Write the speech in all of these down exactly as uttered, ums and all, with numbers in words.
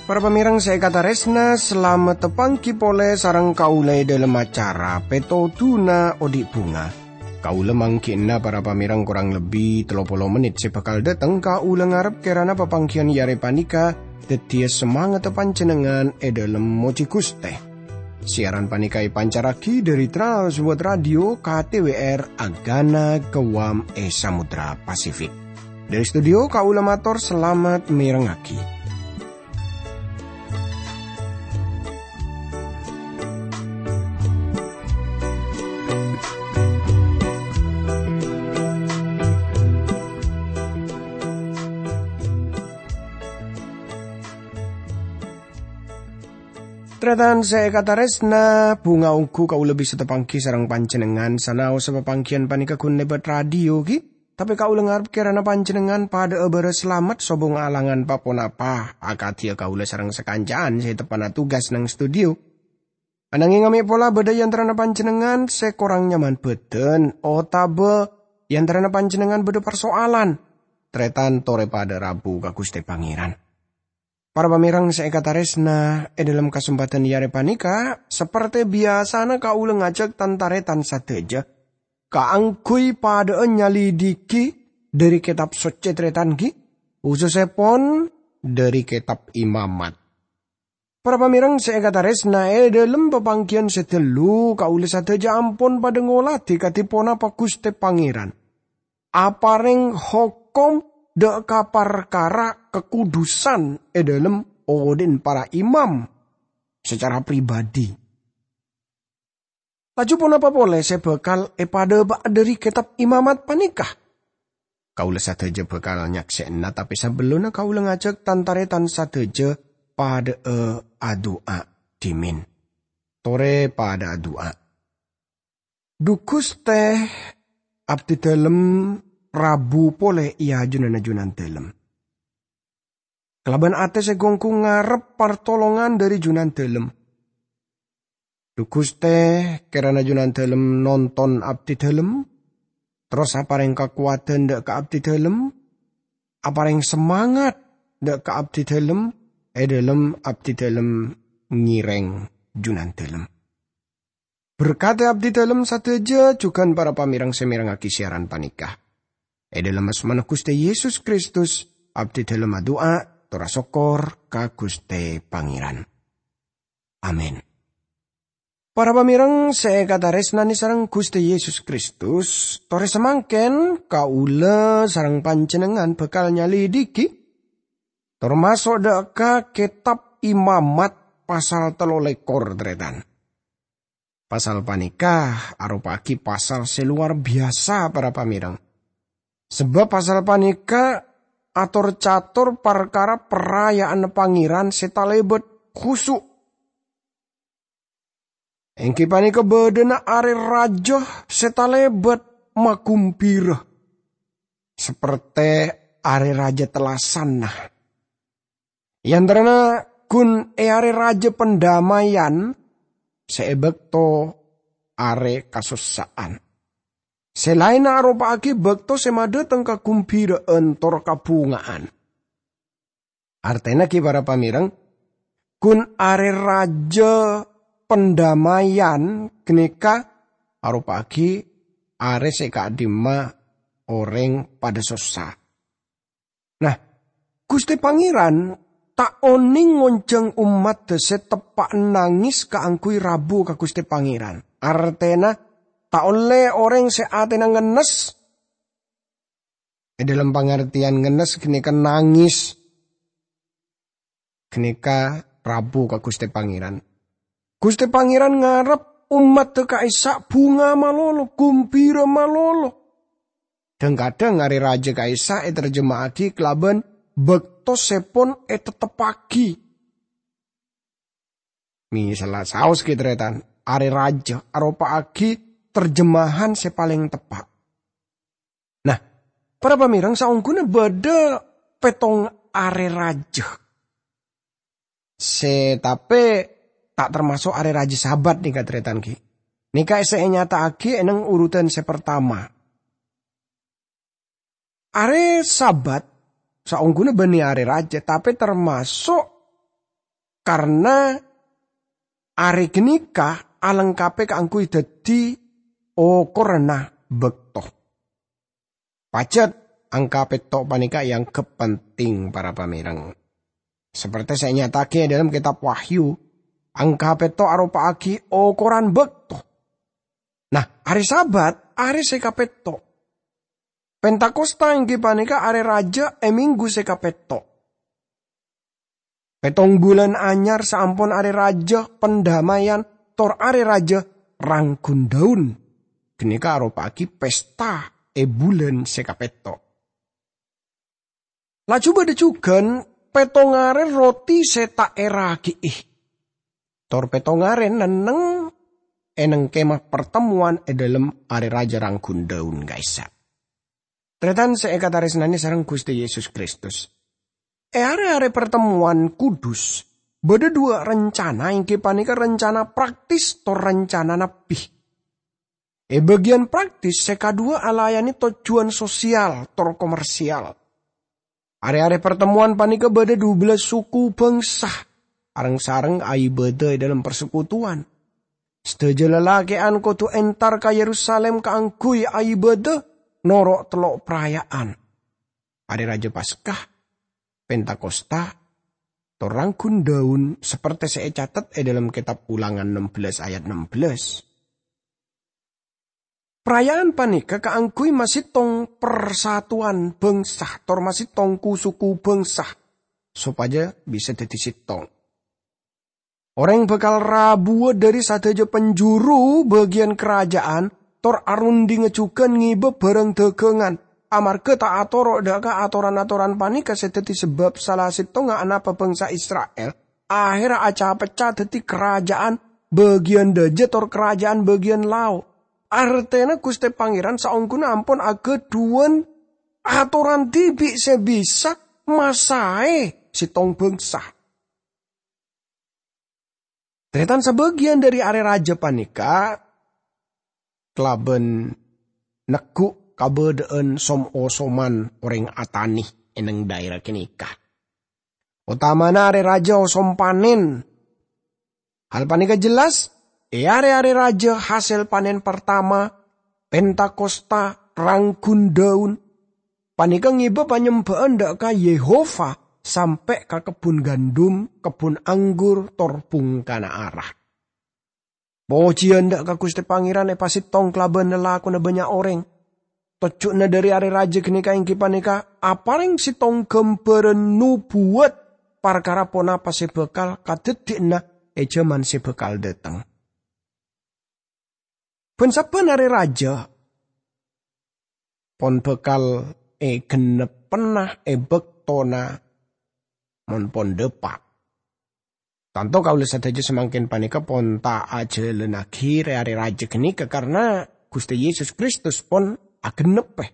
Para pamèrèng sè èkatarèsna, salamet tapangghi polè sareng kaulâ è dhâlem acara Pètodhuna Odi' Bhunga. Kaulâ mangghi'na para pamèrèng korang lebbi tello polo mennit sè bhâkal dhâteng. Kaulâ ngarep kèrana papangghiyân è arè panèka dhâddhiyâ samangatta panjhennengngan è dhâlem mojhi Ghustè. Siaran panèka èpancarraghi dhâri Trans World Radio K T W R Agana Guam è Samudra Pasifik. Dhâri studio kaulâ mator salamet mèrengngaghi. Tarètan sè èkatarèsna, bhunga ongghu kaulâ bisa tapangghi sareng panjhennengngan sanaossa papangghiyân panèka ghun lèbât radio, ghi? Tapè kaulâ ngarep kèrana panjhennengngan padhâ'â bârâs salamet sobung alangan pa-ponapa, akadhiyâ kaulâ sareng sakanca'an sè teppa'na tugas neng studio. Ananghing mè' pola bâdâ è antarana panjhennengngan sè korang nyaman bhâdhân, otabâ è antarana panjhennengngan bâdâ parsoalan. Tarètan torè padhâ rabu ka Ghustè Pangèran. Para pamèrèng sè èkatarèsna, è dhâlem kasempadhân è arè panèka, sapertè biyasana kaulâ ngajhâk tan-tarètan sadhâjâ kaangghuy padhâ'â nyalidiki dhâri Kètab Soccè tarètan ghi, khusussèpon dhâri Kètab Imamat. Para pamèrèng sè èkatarèsna, è dhâlem papangghiyân sè dâllu, kaulâ sadhâjâ ampon padhâ ngolatè kadhi ponapa Ghustè Pangèran aparèng hokom dâ' ka parkara kakudusan è dhâlem odhi'na para imam sacara pribadhi. Laju ponapa polè sè bhâkal èpadhâpa'a dhâri Kètab Imamat panèka? Kaulâ sadhâjâ bhâkal nyaksè'ana, tapè sabellunna kaulâ ngajhâk tan-tarètan sadhâjâ padhâ'â adu'a dhimèn. Torè padhâ adu'a. Dhu Ghustè, abdhi dhâlem rabu polè è ajunanna Junandhâlem. Kalabân atè sè ghu-ongghu ngarep partolongan dhâri Junandhâlem. Dhu Ghustè, kèrana Junandhâlem nonton abdhi dhâlem, terros aparèng kakowadhân dâ' ka abdhi dhâlem, aparèng samangat dâ' ka abdhi dhâlem, è dhâlem abdhi dhâlem ngèrèng Junandhâlem. Berkadhi abdhi dhâlem sadhâjâ jhughân para pamèrèng sè mèrengngaghi siaran panèka. È dhâlem asmana Ghustè Yesus Kristus, abdhi dhâlem adu'a, tor asokkor ka Ghustè Pangèran. Amin. Para pamèrèng sè èkatarèsnanè sareng Ghustè Yesus Kristus, torè samangkèn kaulâ sareng panjhennengngan bhâkal nyalidiki, tor maso' dâ' ka Kètab Imamat pasal tello lèkor, tarètan. Pasal panèka aropa'aghi pasal sè lowar biyasa, para pamèrèng. Sabâb pasal panèka ator-cator parkara paraya'anna Pangèran sè talèbât khusu'. Èngghi panèka bâdâna arè rajâ sè talèbât magumbira, sapertè arè rajâ tellasanna. È antarana ghun è arè rajâ pandammayan sè è bâkto arè kasossa'an. Sè laènna aropa'aghi bâkto sè madhâteng kagumbira'an tor kabhunga'an. Artèna ghi para pamèrèng, ghun arè rajâ pandammayan ghânèka aropa'aghi arè sè ka'dhimma orèng padâ sossa. Nah, Ghustè Pangèran ta' onèng ngonjhâng ommaddhâ sè teppa'na nangès kaangghuy rabu ka Ghustè Pangèran. Artèna, ta' ollè orèng sè atèna ngennes. È dhâlem pangartèyan ngennes ghânèka nangès. Ghânèka rabu ka Ghustè Pangèran. Ghustè Pangèran ngarep ommaddhâ ka'issa' bhunga malolo, gumbira malolo. Dhâng-kadhâng arè rajâ ka'issa' ètarjema'aghi kalabân bâkto sèpon ètetteppaghi. Mèsalla saos ghi, tarètan, arè rajâ aropa'aghi tarjemahan sè palèng teppa'. Nah, para pamèrèng, saongghuna bâdâ pèttong arè rajâ. Sè tapè ta' termaso' arè rajâ Sabat nèka, tarètan, ghi. Nèka sè ènyata'aghi è neng urutan sè partama. Arè Sabat saongghuna bânnè arè rajâ, tapè termaso' karna arè ghânèka alengkapè kaangghuy dhâddhi okoranna bâkto. Pajhât, angka pètto' panèka èangghep penting, para pamèreng. Saperti sè ènyata'aghi è dhâlem Kètab Wahyu, angka pètto' aropa'aghi okoran bâkto. Nah, arè Sabat, arè sè kapètto'. Pentakosta èngghi panèka arè rajâ è minggu sè kapètto'. Pèttong bulân anyar saampon arè rajâ pandammayan tor arè rajâ rangghun dhâun. Ghânèka aropa'aghi pesta è bulân sè kapètto'. Laju bâdâ jhughân pèttong arè roti sè ta' èraghi'i. Tor pèttong arè nenneng è neng kemah partemmowan è dhâlem arè rajâ rangghun dhâun ka'issa'. Tarètan sè èkatarèsnanè sareng Ghustè Yesus Kristus. È arè-arè partemmowan kudus, bâdâ duwâ' rencana, èngghi panèka rencana praktis tor rencana nabbhi. È bâgiyân praktis, sè kaduwâ alayanè tojjhuwân sosial tor komersial. Arè-arè partemmowan panèka bâdâ dubellâs suku bângsa, areng-sareng aibâdâ è dhâlem parsekutuwan. Sadhâjâ lalakè'an kodhu entar ka Yerusalim kaangghuy aibâdâ noro' tello' paraya'an. Arè Rajâ Paska, Pentakosta, tor rangghun dhâun, saperti sè ècatet è dhâlem Kètab Ulangan ennem belas ayat ennem belas. Paraya'an panèka kaangghuy masèttong parsatuwan bângsa, tor masèttong ku-suku bângsa, sopajâ bisa dhâddhi sèttong. Orèng bhâkal rabuwâ dhâri sadhâjâ penjuru bâgiyân karaja'an, tor arundhingnga jhughân ngèbâ bhârâng dhâghângan, amarghâ ta' atoro' dhâ' ka atoran-atoran panèka sè dhâddhi sabâb sala sèttongnga anapa bângsa Isra'il ahèrra aca-pecca dhâddhi karaja'an bâgiyân dhâjâ tor karaja'an bâgiyân lao'. Artèna Ghustè Pangèran saongghuna ampon aghâdhuwân atoran dhibi' sè bisa masaè sèttong bângsa. Tarètan, sabâgiyân dhâri arè rajâ panèka kalabân neggu' kabâdâ'ân som-osoman orèng atanè è neng dhaèra ghânèka. Otamana arè rajâ osom panèn. Hal panèka jelas, è arè-arè rajâ hasèl panèn partama, Pentakosta, rangghun dhâun, panèka ngèbâ panyembhâ'ân dhâ' ka Yehova sampè' ka kebbhun gandum, kebbhun anggur, tor bhungkana ara. Pojiyân dhâ' ka Ghustè Pangèran èpasèttong kalabân lalakonna bânnya' orèng. Tojjhuwânna dhâri arè rajâ ghânèka èngghi panèka aparèng sèttong ghâmbhârân nubuwat parkara ponapa sè bhâkal kadhâddhiyânna è jhâman sè bhâkal dhâteng. Bân-sabbhân arè rajâ pon bhâkal èghenneppèna è bâktona mon pon dhâpa'. Tanto kaulâ sadhâjâ samangkèn panèka pon ta' ajhâlânnaghi rè-arè rajâ ghânèka, karna Ghustè Yesus Kristus pon agenneppè.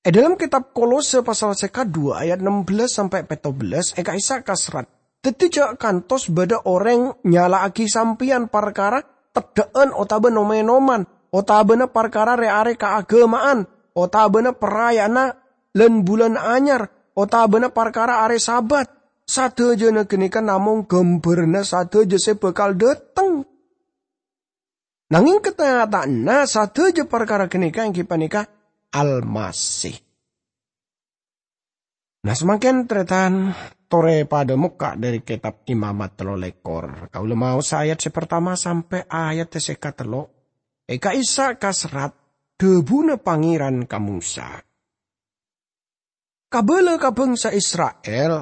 È dhâlem Kètab Kolose pasal sè kaduwâ ayat ennem belas sampè' pètto belas è ka'issa' kaserrat, "Dhâddhi jhâ' kantos bâdâ orèng nyala'aghi sampèyan parkara teddhâ'ân otabâ nom-ènoman, otabâna parkara rè-arè kaaghâma'an, otabâna paraya'anna lan-bulân anyar, otabâna parkara arè Sabat. Sadhâjâna ghânèka namong ghâmbhârânna sadhâjâ sè bhâkal dhâteng." Nangèng katanyataanna sadhâjâ parkara ghânèka èngghi panèka Almasih. Nah, samangkèn, tarètan, torè padâ mokka' dhâri Kètab Imamat tello lèkor. Kaulâ maosa ayat sè partama sampè' ayat sè katello'. È ka'issa' kaserrat dhâbuna Pangèran ka Mosa. Kabâlâ ka bângsa Isra'il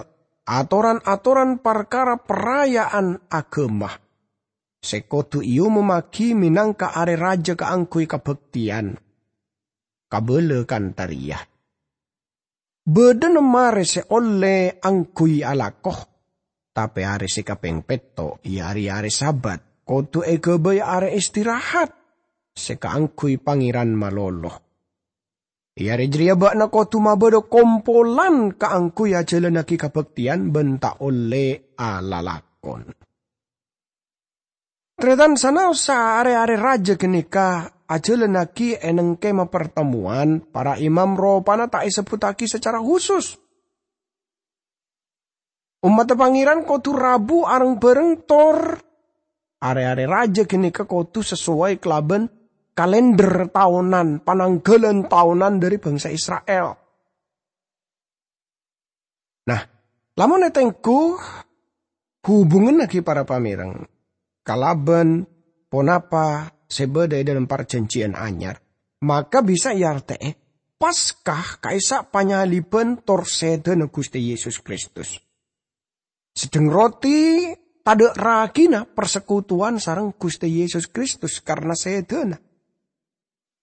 atoran-atoran parkara paraya'an aghâma sè kodhu èomommaghi mènangka arè rajâ kaangghuy kabhâktèyan. Kabâlâ kantha rèya. Bâdâna marè sè ollè angghuy alako, tapè arè sè kapèng pètto', iyâ arèya arè Sabat, kodhu èghâbây arè istirahat sè kaangghuy Pangèran malolo. È arè jârèya bâ'na kodhu mabâdâ kompolan kaangghuy ajhâlânnaghi kabhâktèyan bân ta' ollè alalakon. Tarètan, sanaossa are-are raja ghânèka ajhâlânnaghi è neng kemah partemmowan, para imam ropana ta' èsebbhuttaghi sacara husus. Ommadda Pangèran kodhu rabu areng-bhâreng, tor are-are raja ghânèka kodhu sasowai kalabân kalender taonan, pananggalan taonan dhâri bangsa Isra'il. Nah, lamon ètengghu hubunganna ghi' para pamèreng kalabân ponapa sè bâdâ è dâlem Parjhânjhiyân Anyar, maka bisa èartè'è Paskah ka'issa' panyaliban tor sèdhâna Ghustè Yesus Kristus. Sedheng roti tadâ' ragina parsekutuwan sareng Ghustè Yesus Kristus karna sèdhâna.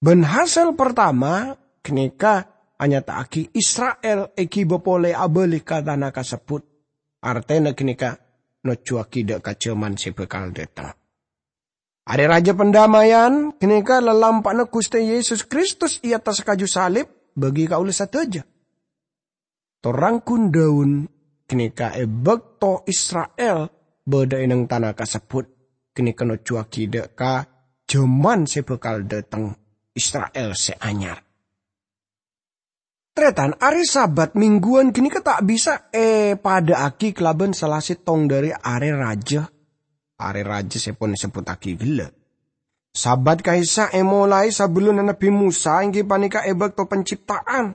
Bân hasèl partama ghânèka anyata'aghi Isra'il èghibâ polè abâli ka tana kasebbhut, artèna ghânèka nojjhuwaghi dâ' ka jhâman sè bhâkal dâteng. Arè Rajâ Pandamaian ghânèka lalampa'na Ghustè Yesus Kristus è attas kaju salib bagi kaulâ sadhâjâ. Tor rangghun dhâun ghânèka è bâkto Isra'il bâdâ è neng tana kasebbhut, ghânèka nojjhuwaghi dâ' ka jhâman sè bhâkal dâteng, Isra'il sè anyar. Tarètan, arè Sabat mingguwân ghânèka ta' bisa èpadâ'âghi kalabân sala sèttong dhâri arè rajâ, arè rajâ sè pon èsebbhuttaghi ghellâ'. Sabat ka'issa' èmolaè sabellunna Nabbhi Mosa, èngghi panèka è bâkto pancipta'an.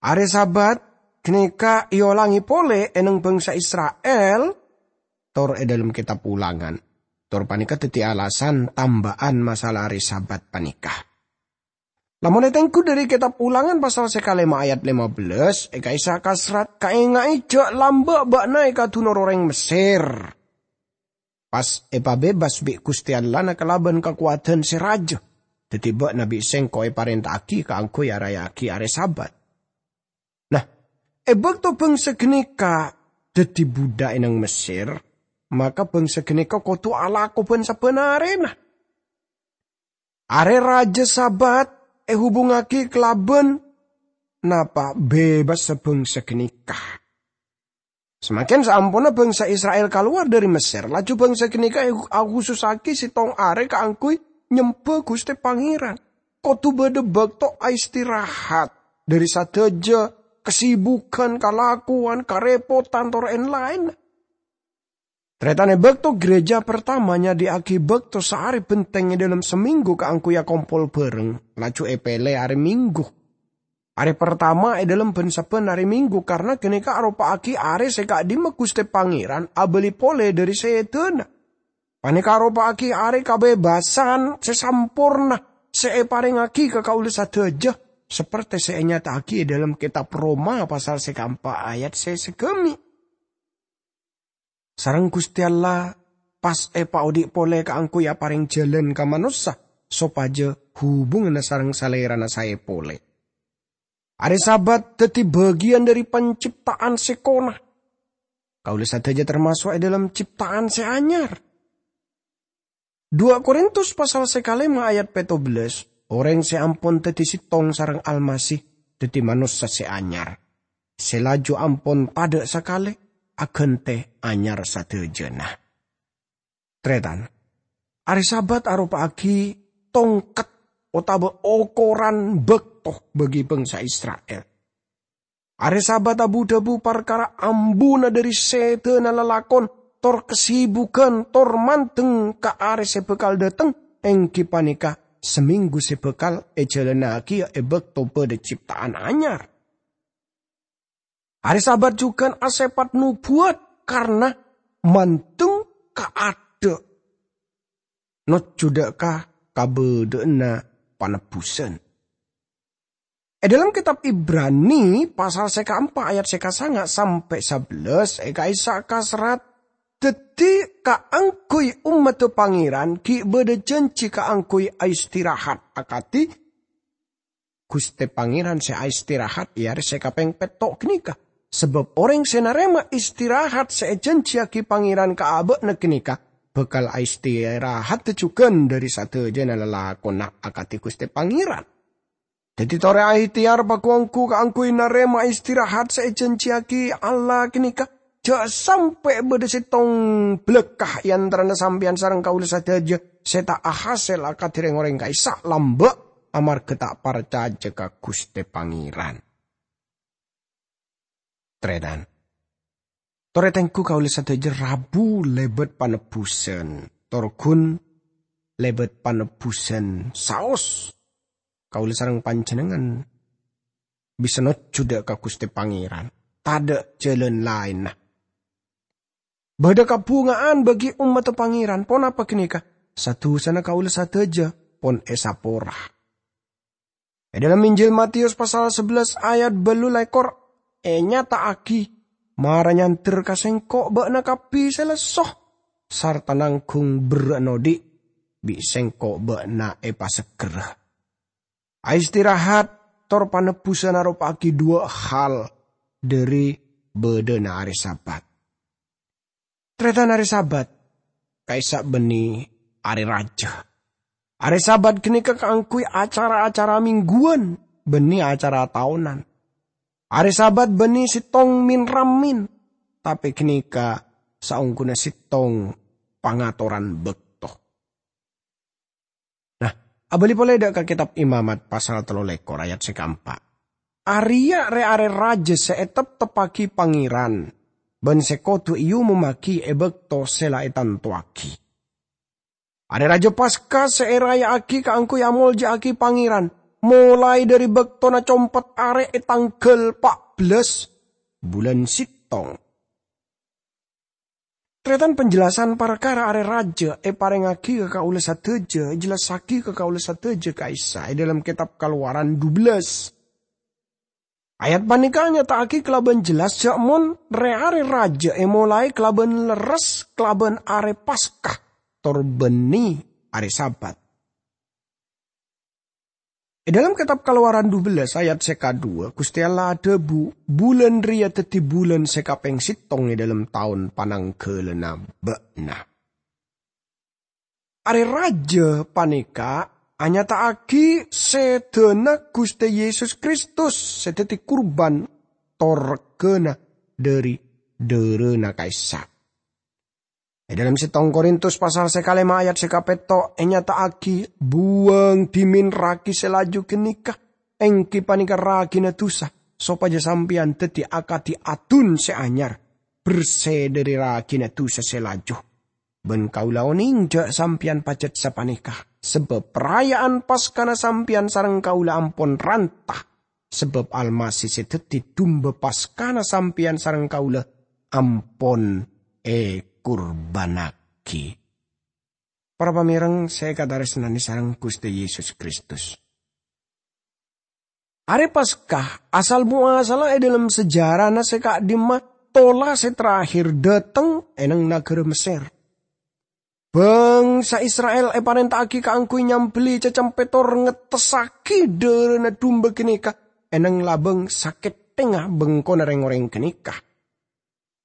Arè Sabat ghânèka èolangè polè è neng bangsa Isra'il, tor è dâlem Kètab Ulangan. Tor panèka dhâddhi alasan tamba'an masalah arè Sabat panèka. Lamon ètengghu dhâri Kètab Ulangan pasal sè kalèma ayat lèma bellâs, è ka'issa' kaserrat, "Kaènga'è jhâ' lambâ' bâ'na èkadunor orèng Messèr. Pas èpabebas bi' Ghustè Allahna kalabân kakowadhân sè rajâ. Dhâddhi bâ'na bi' sèngko' èparènta'aghi kaangghuy araya'aghi arè Sabat." Nah, è bâkto bangsa ghânèka dhâddhi bhudhâk è neng Messèr, maka bangsa ghânèka kodhu alako bân-sabbhân arèna. Arè rajâ Sabat èhubungngaghi kalabân napa? Bebas bangsa ghânèka. Samangkèn saamponna bangsa Isra'il kalowar dhâri Messèr, laju bangsa ghânèka ahusussaghi sèttong arè kaangghuy nyembhâ Ghustè Pangèran. Kodhu bâdâ bâkto aistirahat dhâri sadhâjâ kasibughân, kalakowan, karèpotan, tor èn-laènna. Tarètan, è bâkto ghârèjâ partama nyadhi'aghi bâkto saarè bhenteng è dâlem samènggu kaangghuy akompol bhâreng, laju èpèlè arè Minggu. Arè partama è dâlem bân-sabbhân arè Minggu, karna ghânèka aropa'aghi arè sè ka'dimma Ghustè Pangèran abâli polè dhâri sèdhâna. Panèka aropa'aghi arè kabebasân sè samporna sè èparèngngaghi ka kaulâ sadhâjâ, saperte sè ènyata'aghi è dâlem Kètab Roma pasal sè kaempa' ayat sè saghâmè'. Sareng Ghustè Allah pas èpaodi' polè kaangghuy aparèng jhâlân ka manossa, sopajâ hubunganna sareng Salèrana saè polè. Arè Sabat dhâddhi bâgiyân dhâri pancipta'an sèkona. Kaulâ sadhâjâ tamaso' è dâlem cipta'an sè anyar. Dua Korintus pasal sè kalèma ayat pètto bellâs, orèng sè ampon dhâddhi sèttong sareng Almasih dhâddhi manossa sè anyar. Sè laju ampon tadâ' sakalè, aghântè anyar sadhâjâna. Tarètan, arè Sabat aropa'aghi tongket otabâ okoran bâkto bagi bangsa Isra'il. Arè Sabat abu-dhâbu parkara ambuna dhâri sèdhâna lalakon, tor kasibughân, tor mandeng ka arè sè bhâkal dâteng, èngghi panèka samènggu sè bhâkal èjhâlânnaghi è bâkto bâdâ cipta'an anyar. Arè Sabat jhughân asèpat nobuwat karna mandeng ka adâ', nojjhu dâ' ka kabâdâ'ânna panebbusan. È dâlem Kètab Ibrani, pasal sè kaempa' ayat sè kasanga' sampè' sabellâs, è ka'issa' kaserrat, "Dhâddhi, kaangghuy ommadda Pangèran ghi' bâdâ jhânjhi kaangghuy aistirahat akadhi Ghustè Pangèran sè aistirahat è arè sè kapèng pètto' ghânèka. Sabâb orèng sè narèma istirahat sè èjhânjhiyaghi Pangèran ka abâ'na ghânèka bhâkal aistirahatta jhughân dhâri sadhâjâna lalakonna akadhi Ghustè Pangèran." Dhâddhi torè ahtèyar pagu-ongghu kaangghuy narèma istirahat sè èjhânjhiyaghi Allah ghânèka, jhâ' sampè' bâdâ sèttong bâlâkka' è antarana sampèyan sareng kaulâ sadhâjâ sè ta' ahasèl akadhi rèng-orèng ka'issa' lambâ' amarghâ ta' parcajâ ka Ghustè Pangèran. Tarètan. Torè tengghu kaulâ sadhâjâ rabu lèbât panebbhusân, tor ghun lèbât panebbhusân saos. Kaulâ sareng panjhennengngan bisa nojjhu dâ' ka Ghustè Pangèran, tadâ' jhâlân laènna. Bâdâ kabhunga'an bagi ommaddhâ Pangèran, ponapa ghânèka? Sa-dusana kaulâ sadhâjâ pon èsapora. È dâlem Injil Matius pasal sabellâs ayat bâllu lèkor ènyata'aghi, "Mara nyander ka Sèngko' bâ'na kabbhi sè lesso, sarta nangghung berrâ'na odi', bi' Sèngko' bâ'na èpasegghârâ." Aistirahat tor panebbhusân aropa'aghi duwâ' hal dâri bâdâna arè Sabat. Tarètan, arè Sabat ka'issa' bânnè arè rajâ. Arè Sabat ghânèka kaangghuy acara-acara mingguwân bânnè acara taonan. Arè Sabat bânnè sèttong min-ramin, tapè ghânèka saongghuna sèttong pangatoran bâkto. Nah, abâli polè dâ' ka Kètab Imamat pasal tello lèkor ayat sè kaempa'. Arèya rè-arè rajâ sè ètepteppaghi Pangèran, bân sè kodhu èomommaghi è bâkto sè la ètantowaghi. Arè Rajâ Paska sè èraya'aghi kaangghuy amolja'aghi Pangèran, molaè dâri bâktona compet arè è tangghâl pa' bellâs bulân sèttong. Tarètan, panjelasan parkara arè rajâ èparèngaghi ka kaulâ sadhâjâ, èjellassaghi ka kaulâ sadhâjâ ka'issa' è dâlem Kètab Kalowaran dubellâs. Ayat panèka nyata'aghi kalabân jelas jhâ' mon rè-arè rajâ èmolaè kalabân lerres kalabân arè Paska, tor bânnè arè Sabat. È dâlem Kètab Kalowaran dubellâs ayat sè kaduwâ, Ghustè Allah adhâbu, "Bulân rèya dhâddhi bulân sè kapèng sèttong è dâlem taon panangghâlânna bâ'na." Arè rajâ panèka anyata'aghi sèdhâna Ghustè Yesus Kristus sè dhâddhi kurban tor reggâna dâri dârâna ka'issa'. È dâlem sèttong Korintus pasal sè kalèma ayat sè kapètto' ènyata'aghi, "Buwâng dhimèn ragi sè laju ghânèka, èngghi panèka ragina dusa, sopajâ sampèyan dhâddhi akadhi adun sè anyar, bersè dâri ragina dusa sè laju." Bân kaulâ onèng jhâ' sampèyan pajhât sapanèka, sabâb paraya'an Paskana sampèyan sareng kaulâ ampon ranta. Sabâb Almasih sè dhâddhi Dumba Paskana sampèyan sareng kaulâ ampon èkurbânnaghi. Para pamèreng sè èkatarèsnanè sareng Ghustè Yesus Kristus. Arè Paska asal moasalla è dâlem sejarana sè ka'dimma tola sè terakhir dâteng è neng naghârâ Messèr. Bhângsa Isra'il èparènta'aghi kaangghuy nyambelli cacempè tor ngettessaghi dârâna dumba ghânèka è neng labâng sakèttèngnga bengkona rèng-orèng ghânèka.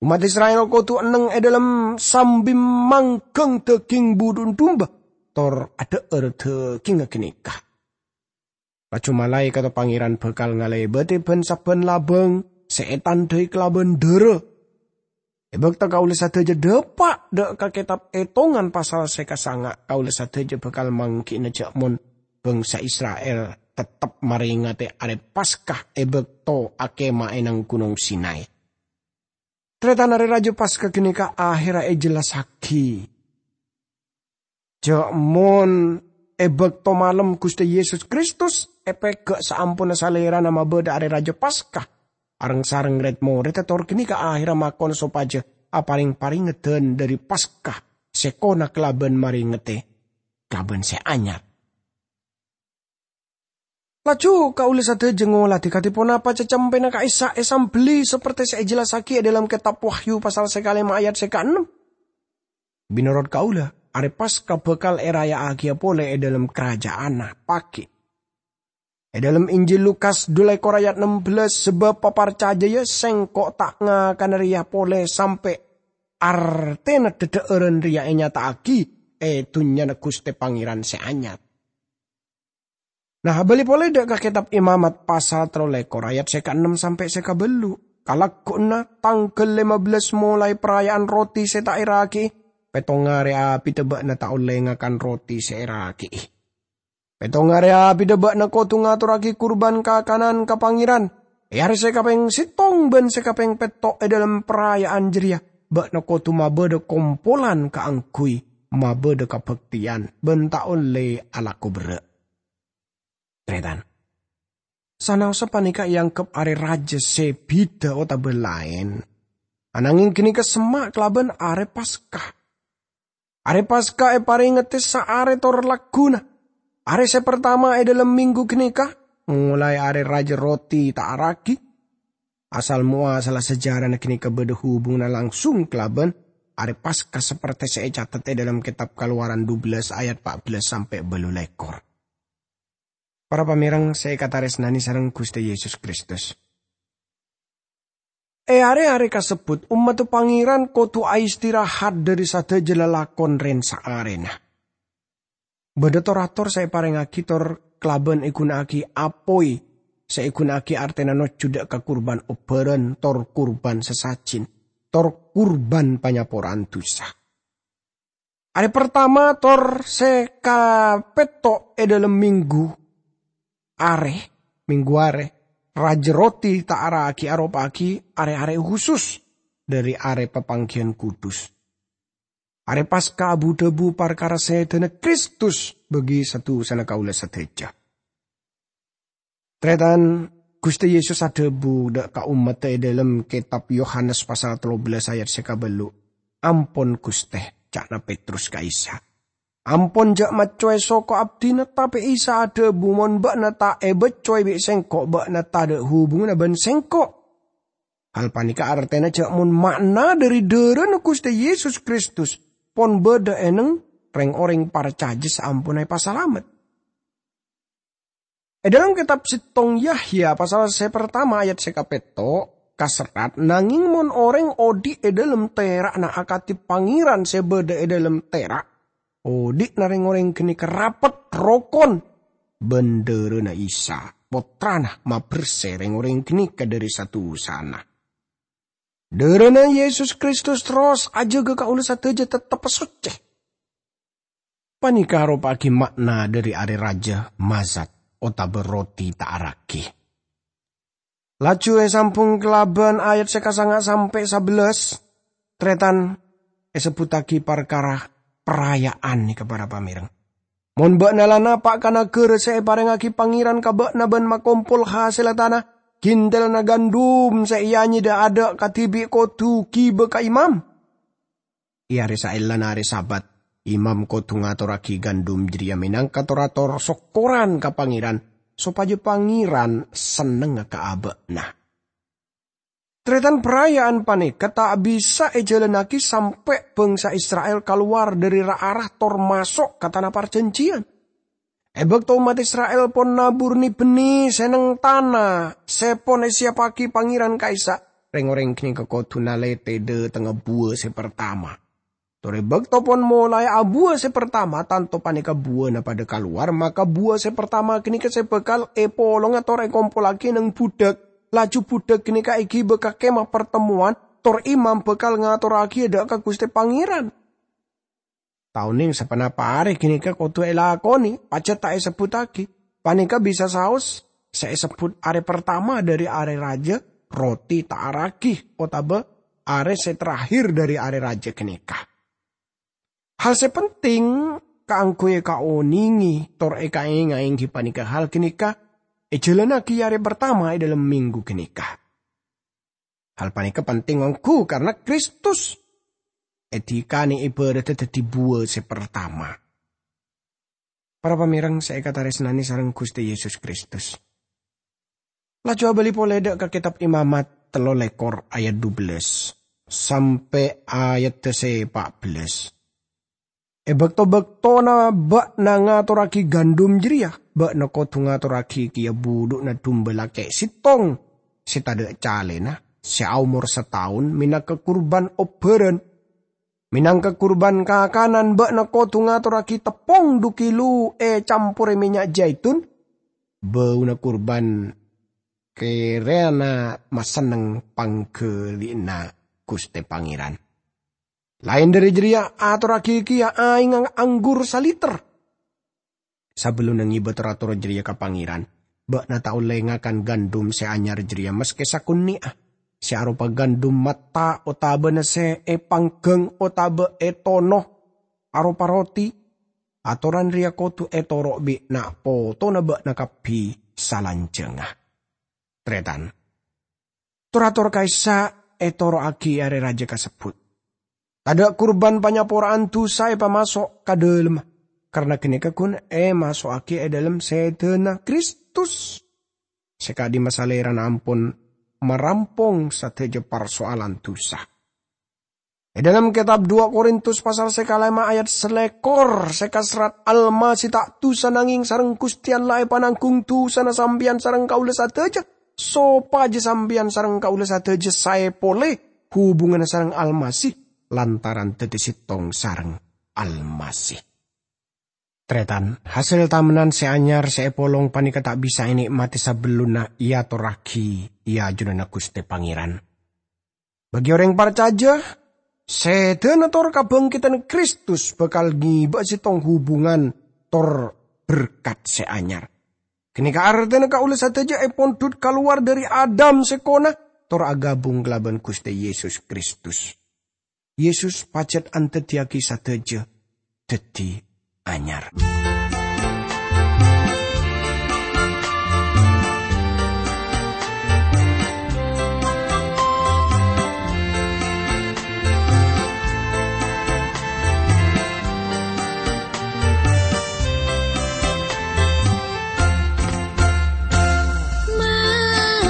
Ommat Isra'il kodhu enneng è dâlem sambi mangghâng dhâghing budhu'na dumba tor adhâ'âr dhâghingnga ghânèka. Laju malaèkatta Pangèran bhâkal ngalèbâdhi bân-sabbhân labâng sè ètandhâi kalabân dârâ. È bâkto kaulâ sadhâjâ dâpa' dâ' ka Kètab Ètongan pasal sè kasanga', kaulâ sadhâjâ bhâkal mangghi'na jhâ' mon bhângsa Isra'il tettep marèngatè Arè Paska è bâkto akèma è neng Ghunong Sinai. Tarètan, Arè Rajâ Paska ghânèka ahèrra èjellassaghi. Jhâ' mon è bâkto malem Ghustè Yesus Kristus èpèghâ' saamponna Salèrana mabâdâ Arè Rajâ Paska, areng-sareng rèd-morèdda tor ghânèka ahèrra makon sopajâ aparèng-parèngeddhân dâri Paska sèkona kalabân marèngatè kalabân sè anyar. Laju kaulâ sadhâjâ ngolatè kadhi ponapa cacempèna ka'issa' èsambelli sapertè sè èjellassaghi è dâlem Kètab Wahyu pasal sè kalèma ayat sè kaennem. Mènorot kaulâ, Arè Paska bhâkal èraya'aghiyâ polè è dâlem Karajaanna paghi'. È dâlem Injil Lukas dulèkor ayat nem bellâs, "Sabâb paparcajâ, yâ, Sèngko' ta' ngakana rèya polè sampè' artèna dhâdhâ'ârân rèya ènyata'aghi è dhunnyana Ghustè Pangèran sè anyar." Nah, abâli polè dâ' ka Kètab Imamat pasal tello lèkor ayat sè kaennem sampè' sè kabâllu'. Kalagguwanna tangghâl lèma bellâs molaè paraya'an roti sè ta' èrake'è, pèttong arè abidhâ bâ'na ta' ollè ngakan roti sè èrake'è. Pèttong arè abidhâ bâ'na kodhu ngatorraghi kurban kakanan ka Pangèran. È arè sè kapèng sèttong bân sè kapèng pètto' è dhâlem paraya'an jârèya, bâ'na kodhu mabâdâ kompolan kaangghuy mabâdâ kabhâktèyan bân ta' ollè alako berrâ'. Tarètan, sanaossa panèka èangghep arè rajâ sè bhidhâ otabâ laèn, ananghing ghânèka semma' kalabân arè Paska. Arè Paska èparèngedhâ saarè tor lagghuna. Arè sè partama è dhâlem minggu ghânèka, molaè arè rajâ roti ta' araghi. Asal-moasalla sajârâna ghânèka bâdâ hubunganna langsung kalabân arè Paska, sapertè sè ècatet è dhâlem kètab Kalowaran dubellâs ayat pa' bellâs sampè' bâllu lèkor. Para pamèreng sè èkatarèsnanè sareng Ghustè Yesus Kristus. È arè-arè kasebbhut, ommaddhâ Pangèran kodhu aistirahat dhâri sadhâjâ lalakon rèn-saarèna. Bâdâ tor-ator sè èparèngaghi tor kalabân èghuna'aghi apoy sè èghuna'aghi artèna nojjhu dâ' ka kurban obbhârân, tor kurban sasajin, tor kurban panyapora'an dusa. Arè partama tor sè kapètto' è dhâlem minggu arè, minggu arè, rajâ roti ta' araghi aropa'aghi arè-arè husus dhâri arè papangghiyân kudus. Arè Paska abu-dhâbu parkara sèdhâna Kristus bagi sa-dusana kaulâ sadhâjâ. Tarètan, Ghustè Yesus adhâbu dâ' ka ommaddhâ è dhâlem kètab Yohanes pasal tello bellâs ayat sè kabâllu', "Ampon, Ghustè," ca'na Petrus ka Isa. "Ampon, jhâ' maccowè soko abdhina." Tapè Isa adhâbu, "Mon bâ'na ta' èbâccowè bi' Sèngko', bâ'na tadâ' hubunganna bân Sèngko'." Hal panèka artèna jhâ' mon ma'na dhâri dârâna Ghustè Yesus Kristus pon bâdâ è neng rèng-orèng parcajâ saamponna èpasalamet. È dhâlem kètab sèttong Yahya pasal sè partama ayat sè kapètto', kaserrat, "Nangèng mon orèng odi' è dhâlem tèra'na akadhi Pangèran sè bâdâ è dhâlem tèra', odi'na rèng-orèng ghânèka rapet, rokon, bân dârâna Isa, Pottrana, mabersè rèng-orèng ghânèka dhâri sa-dusana." Dârâna Yesus Kristus terros ajâgâ kaulâ sadhâjâ tettep soccè. Panèka aropa'aghi ma'na dhâri arè rajâ Mazat otabâ roti ta' araghi. Laju èsambhung kalabân ayat sè kasanga sampè' sabellâs, tarètan èsebbhuttaghi parkara paraya'an nèka, para pamèreng. "Mon bâ'na la napa' ka naghârâ sè èparèngaghi Pangèran ka bâ'na bân makompol hasèlla tana, ghintellanna gandum sè èanyèdhâ adâ' kadhibi' kodhu ghibâ ka imam. È arè saellana arè Sabat, imam kodhu ngatorraghi gandum jârèya mènangka tor-ator sokkoran ka Pangèran, sopajâ Pangèran sennengnga ka abâ'na." Tarètan, paraya'an panèka ta' bisa èjhâlânnaghi sampè' bhângsa Isra'il kalowar dhâri ra-ara tor maso' ka Tana Parjhânjhiyân. È bâkto ommat Isra'il pon nabur ne-benne sè neng tana sè pon èsiyappaghi Pangèran ka'issa', rèng-orèng ghânèka kodhu nalètè dhâtengnga buwâ sè partama. Tor è bâkto pon molaè abuwâ sè partama, tanto panèka buwâna padâ kalowar, maka buwâ sè partama ghânèka sè bhâkal èpolonga tor èkompollaghi neng budhâk, laju budhâk ghânèka èghibâ ka Kemah Partemmowan, tor imam bhâkal ngatorraghiyâ dhâ' ka Ghustè Pangèran. Ta' onèng saponapa arè ghânèka kodhu èlakonè, pajhât ta' èsebbhuttaghi. Panèka bisa saos sè èsebbhut arè partama dhâri arè rajâ roti ta' araghi, otabâ arè sè terakhir dhâri arè rajâ ghânèka. Hal sè penting kaangghuy èkaonèngè tor èkaèngaè èngghi panèka hal ghânèka èjhâlânnaghi arè partama è dhâlem minggu ghânèka. Hal panèka penting ongghu karna Kristus èdhikanè èbhârâddhâ dhâddhi buwâ sè partama. Para pamèreng sè èkatarèsnanè sareng Ghustè Yesus Kristus. Laju abâli polè dhâ' ka Kètab Imamat tello lèkor ayat dubellâs sampè' ayat sè pa' bellâs. È bâkto-bâktona bâ'na ngatorraghiyâ gandum jârèya, bâ'na kodhu ngatorraghiyâ kèya budhu'na dumba lakè' sèttong sè tadâ' calèna, sè aomor sataon, mènangka kurban obbhârân. Mènangka kurban kakanan, bâ'na kodhu ngatorraghiyâ teppong dhu kilo ècamporè mènnya' jaitun, bâuna kurban kèrana masenneng pangghâli'ânna Ghustè Pangèran. Laèn dhâri jârèya, atorraghi kèya aèngnga anggur saliter. Sabellunna ngibâ tor-ator jârèya ka Pangèran, bâ'na ta' ollè ngakan gandum sè anyar jârèya maskè sakonè'a, sè aropa gandum matta otabâna sè èpangghâng otaba ètono aropa roti. Atoran rèya kodhu ètoro' bi' na'-potona bâ'na kabbhi salanjhângnga. Tarètan. Tor-ator ka'issa' ètoro'aghi è arè rajâ kasebbhut. Tadâ' kurban panyapora'an dhusa èpamaso' ka dâlemma, karna ghânèka ghun èmaso'aghi è dâlem sèdhâna Kristus, sè ka'dimma Salèrana ampon marampong sadhâjâ parsoalan dhusa. È dâlem kètab dua Korintus pasal sè kalèma ayat salèkor sè kaserrat, "Almasih ta' dhusa, nangèng sareng Ghustè Allah èpananggung dhusana sampèyan sareng kaulâ sadhâjâ, sopajâ sampèyan sareng kaulâ sadhâjâ saè polè hubunganna sareng Almasih lantaran dhâddhi sèttong sareng Almasih." Tarètan, hasèl tamennan sè anyar sè èpolong panèka ta' bisa ènè'matè sabellunna èatorraghi è ajunanna Ghustè Pangèran. Bagi orèng parcajâ, sèdhâna tor kabhângkèdhân Kristus bhâkal ngibâ'â sèttong hubungan tor berkat sè anyar. Ghânèka artèna kaulâ sadhâjâ èpondhut kalowar dhâri Adam sèkona, tor aghâbung kalabân Ghustè Yesus Kristus. Yesus pajhât andhâddhiyâghi sadhâjâ dhâddhi anyar.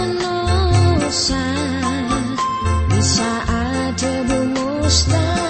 Manossa bisa adhâbu mustahil.